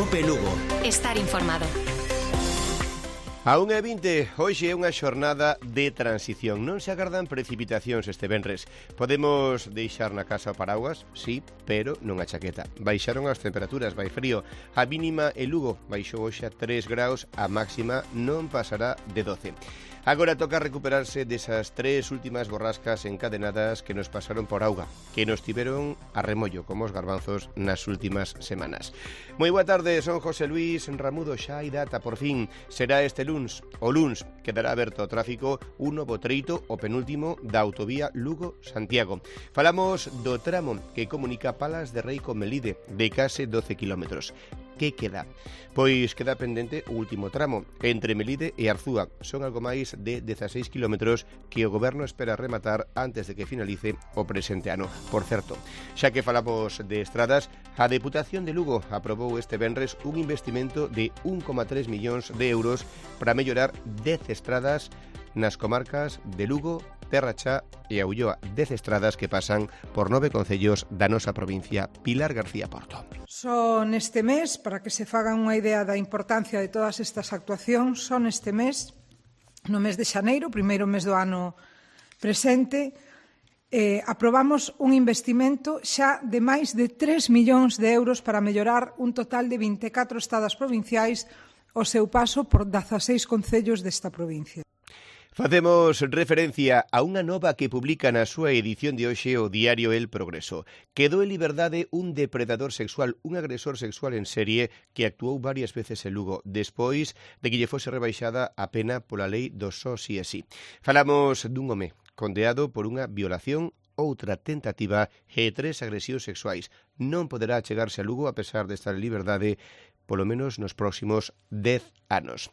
COPE Lugo. Estar informado. A 1:20, hoxe é unha xornada de transición. Non se agardan precipitacións este venres. Podemos deixar na casa o paraguas, sí, pero non a chaqueta. Baixaron as temperaturas, vai frío. A mínima en Lugo baixou hoxe a 3 graus, a máxima non pasará de 12. Agora toca recuperarse desas tres últimas borrascas encadenadas que nos pasaron por auga, que nos tiveron a remollo como os garbanzos nas últimas semanas. Moi boa tarde, son José Luis Ramudo, xa hai data, por fin. Será este luns. O luns quedará aberto o tráfico un novo treito, o penúltimo da autovía Lugo-Santiago. Falamos do tramo que comunica Palas de Rei con Melide, de case 12 kilómetros. Que queda? Pois queda pendente o último tramo entre Melide e Arzúa. Son algo máis de 16 kilómetros que o Goberno espera rematar antes de que finalice o presente ano. Por certo, xa que falamos de estradas, a Deputación de Lugo aprobou este venres un investimento de 1,3 millóns de euros para mellorar 10 estradas nas comarcas de Lugo, Terra Chá e a Ulloa, 10 estradas que pasan por 9 concellos da nosa provincia. Pilar García Porto. Só neste mes, para que se fagan unha idea da importancia de todas estas actuacións, só neste mes, no mes de xaneiro, primeiro mes do ano presente, aprobamos un investimento xa de máis de 3 millóns de euros para mellorar un total de 24 estradas provinciais o seu paso por 16 concellos desta provincia. Facemos referencia a unha nova que publica na súa edición de hoxe o diario El Progreso. Quedou en liberdade un depredador sexual, un agresor sexual en serie que actuou varias veces en Lugo, despois de que lle fose rebaixada a pena pola lei do só si e si. Falamos dun home condeado por unha violación, outra tentativa e 3 agresións sexuais. Non poderá chegarse a Lugo a pesar de estar en liberdade polo menos nos próximos 10 anos.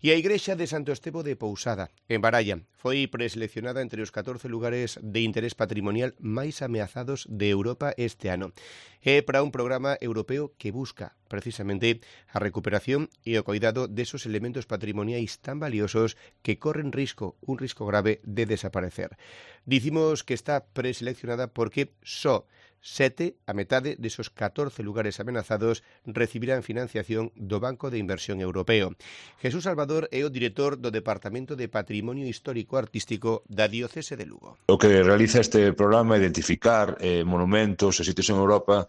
E a Igrexa de Santo Estevo de Pousada, en Baralla, foi preseleccionada entre os 14 lugares de interés patrimonial máis ameazados de Europa este ano. É para un programa europeo que busca, precisamente, a recuperación e o cuidado desos elementos patrimoniais tan valiosos que corren un risco grave de desaparecer. Dicimos que está preseleccionada porque só 7, a metade desos 14 lugares amenazados, recibirán financiación do Banco de Inversión Europeo. Jesús Salvador é o director do Departamento de Patrimonio Histórico Artístico da Diocese de Lugo. O que realiza este programa é identificar monumentos e sitios en Europa,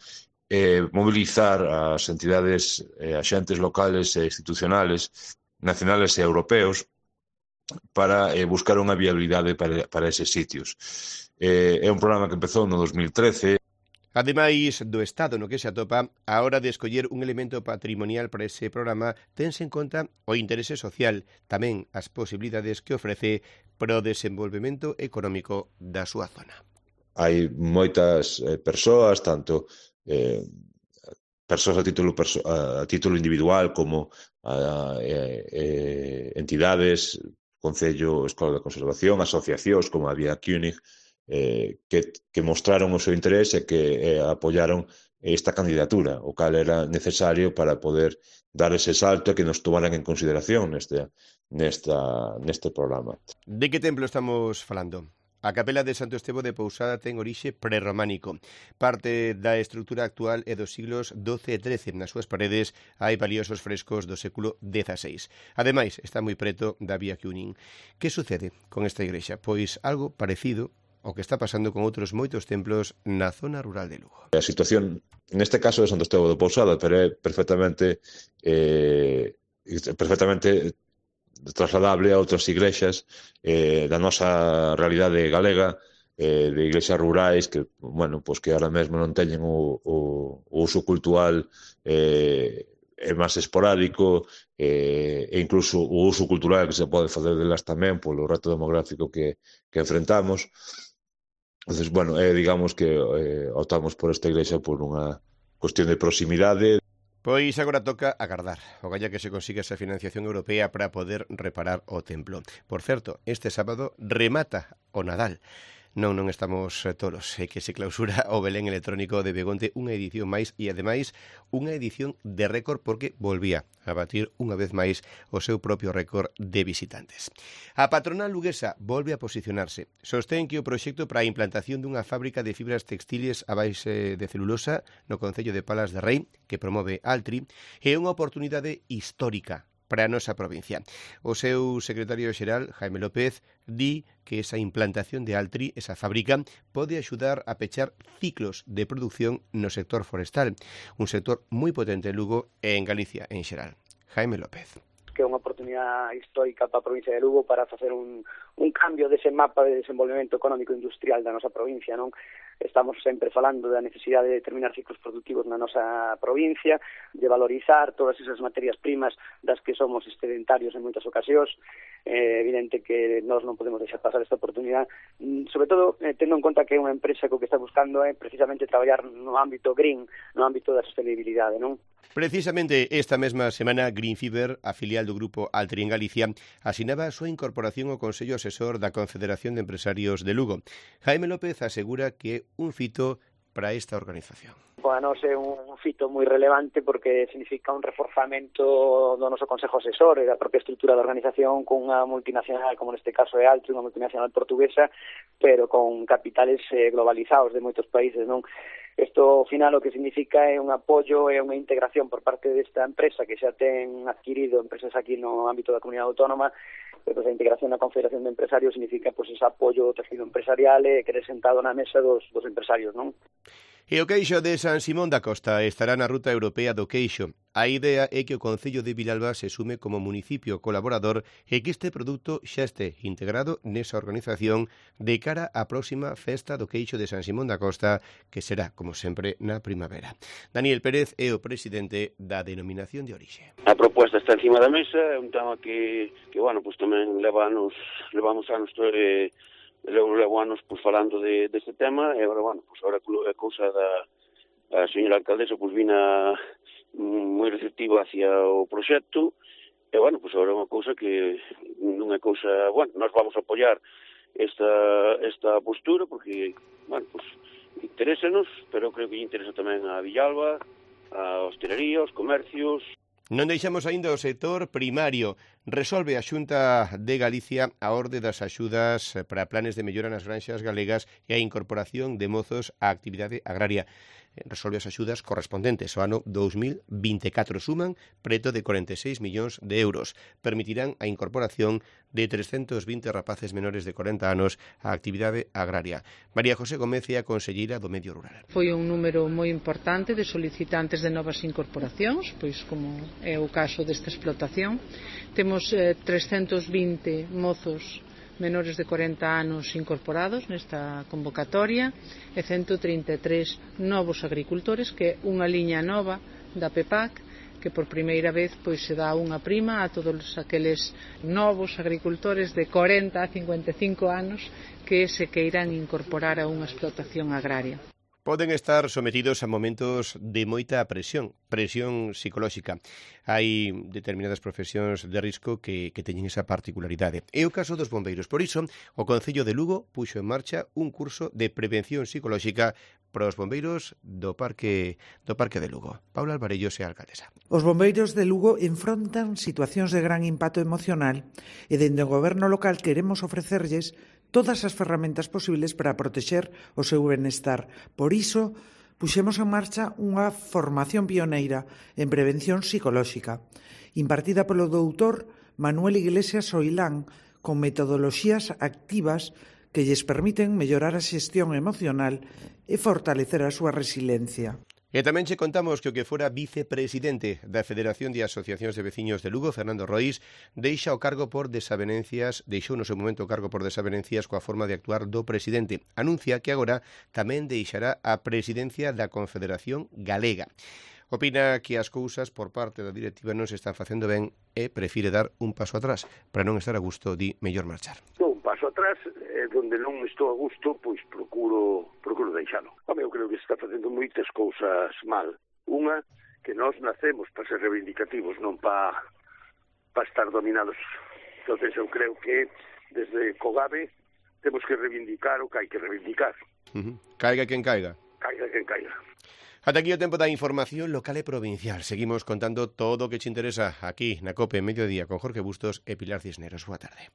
mobilizar as entidades, axentes locales e institucionales, nacionales e europeos, para buscar unha viabilidade para eses sitios. É un programa que empezou no 2013. Ademais do estado no que se atopa, a hora de escoller un elemento patrimonial para ese programa, tense en conta o interese social, tamén as posibilidades que ofrece para o desenvolvemento económico da súa zona. Hai moitas persoas, tanto persoas a título individual como entidades, Concello, Escola de Conservación, asociacións como a Vía Cúnig, que mostraron o seu interés e que apoyaron esta candidatura, o cal era necesario para poder dar ese salto e que nos tomaran en consideración neste programa. De que templo estamos falando? A capela de Santo Estevo de Pousada ten orixe prerrománico. Parte da estrutura actual é dos siglos XII e XIII. Nas súas paredes hai valiosos frescos do século XVI. Ademais, está moi preto da Vía Cúnig. Que sucede con esta igrexa? Pois algo parecido o que está pasando con outros moitos templos na zona rural de Lugo. A situación, neste caso de Santo Estevo de Pousada, pero é perfectamente trasladable a outras igrexas da nosa realidade galega, de iglesias rurais que, que ahora mesmo non teñen o uso cultural é máis esporádico, e incluso o uso cultural que se pode facer delas tamén polo reto demográfico que enfrentamos. Entonces, digamos que optamos por esta igrexa por unha cuestión de proximidade. Pois agora toca agardar, ogalla que se consiga esa financiación europea para poder reparar o templo. Por certo, este sábado remata o Nadal. Non estamos tolos, que se clausura o Belén electrónico de Begonte, unha edición máis e ademais unha edición de récord porque volvía a batir unha vez máis o seu propio récord de visitantes. A patronal luguesa volve a posicionarse. Sostén que o proxecto para a implantación dunha fábrica de fibras textiles a base de celulosa no concello de Palas de Rei, que promove Altri, é unha oportunidade histórica para a nosa provincia. O seu secretario xeral, Jaime López, di que esa implantación de Altri, esa fábrica, pode axudar a pechar ciclos de produción no sector forestal, un sector moi potente en Lugo e en Galicia en xeral. Jaime López. Que é unha oportunidade histórica para a provincia de Lugo para facer un cambio dese mapa de desenvolvemento económico e industrial da nosa provincia, non? Estamos sempre falando da necesidade de determinar ciclos productivos na nosa provincia, de valorizar todas esas materias primas das que somos excedentarios en moitas ocasións. É evidente que nós non podemos deixar pasar esta oportunidade, sobre todo tendo en conta que é unha empresa que o que está buscando é precisamente traballar no ámbito green, no ámbito da sostenibilidade, non? Precisamente esta mesma semana, Green Fiber, a filial do grupo Altri en Galicia, asinaba a súa incorporación ao Consello Asesor da Confederación de Empresarios de Lugo. Jaime López asegura que é un fito para esta organización. Para nós é un fito moi relevante porque significa un reforzamento do noso Consejo Asesor e da propia estrutura da organización con unha multinacional, como neste caso é Altri, unha multinacional portuguesa, pero con capitales globalizados de moitos países, non? Isto, ao final, o que significa é un apoio e unha integración por parte desta empresa que xa ten adquirido empresas aquí no ámbito da comunidade autónoma. Pois a integración na Confederación de Empresarios significa ese apoio ao tejido empresarial e querer sentado na mesa dos empresarios, non? E o queixo de San Simón da Costa estará na ruta europea do queixo. A idea é que o Concello de Vilalba se sume como municipio colaborador e que este produto xa este integrado nesa organización de cara á próxima festa do queixo de San Simón da Costa, que será, como sempre, na primavera. Daniel Pérez é o presidente da denominación de orixe. A proposta está encima da mesa, é un tema que bueno, pues tamén levamos anos levo anos pues, falando deste tema, e agora, bueno, pues agora a cousa da señora alcaldesa pues vina moi receptiva hacia o proxecto, e, bueno, pues agora é unha cousa que non é cousa, bueno, nós vamos a apoiar esta postura, porque, bueno, pues interésanos, pero creo que lle interesa tamén a Villalba, a hostelería, os comercios. Non deixamos aínda o sector primario. Resolve a Xunta de Galicia a orde das axudas para planes de mellora nas granxas galegas e a incorporación de mozos á actividade agraria. Resolve as axudas correspondentes ao ano 2024. Suman preto de 46 millóns de euros. Permitirán a incorporación de 320 rapaces menores de 40 anos á actividade agraria. María José Gómez é a conselleira do Medio Rural. Foi un número moi importante de solicitantes de novas incorporacións, pois como é o caso desta explotación. Temos 320 mozos menores de 40 anos incorporados nesta convocatoria e 133 novos agricultores, que é unha liña nova da PEPAC, que por primeira vez pois se dá unha prima a todos aqueles novos agricultores de 40 a 55 anos que se queiran incorporar a unha explotación agraria. Poden estar sometidos a momentos de moita presión psicolóxica. Hai determinadas profesións de risco que teñen esa particularidade. É o caso dos bombeiros. Por iso, o Concello de Lugo puxo en marcha un curso de prevención psicolóxica para os bombeiros do Parque de Lugo. Paula Alvarellos é a alcaldesa. Os bombeiros de Lugo enfrontan situacións de gran impacto emocional e dende o goberno local queremos ofrecerlles todas as ferramentas posibles para protexer o seu benestar. Por iso, puxemos en marcha unha formación pioneira en prevención psicolóxica, impartida polo doutor Manuel Iglesias Soilán, con metodoloxías activas que lles permiten mellorar a xestión emocional e fortalecer a súa resiliencia. E tamén che contamos que o que fora vicepresidente da Federación de Asociacións de Veciños de Lugo, Fernando Roís, deixou no seu momento o cargo por desavenencias coa forma de actuar do presidente. Anuncia que agora tamén deixará a presidencia da Confederación Galega. Opina que as cousas por parte da directiva non se están facendo ben e prefire dar un paso atrás. Para non estar a gusto, di mellor marchar. Un paso atrás, donde non estou a gusto, pois procuro deixalo. Eu creo que se está facendo moitas cousas mal. Unha, que nós nacemos para ser reivindicativos, non para estar dominados. Entonces eu creo que desde Cogave temos que reivindicar o que hai que reivindicar. Caiga quen caiga. Caiga quen caiga. Ata aquí o tempo da información local e provincial. Seguimos contando todo o que te interesa aquí na COPE Mediodía con Jorge Bustos e Pilar Cisneros. Boa tarde.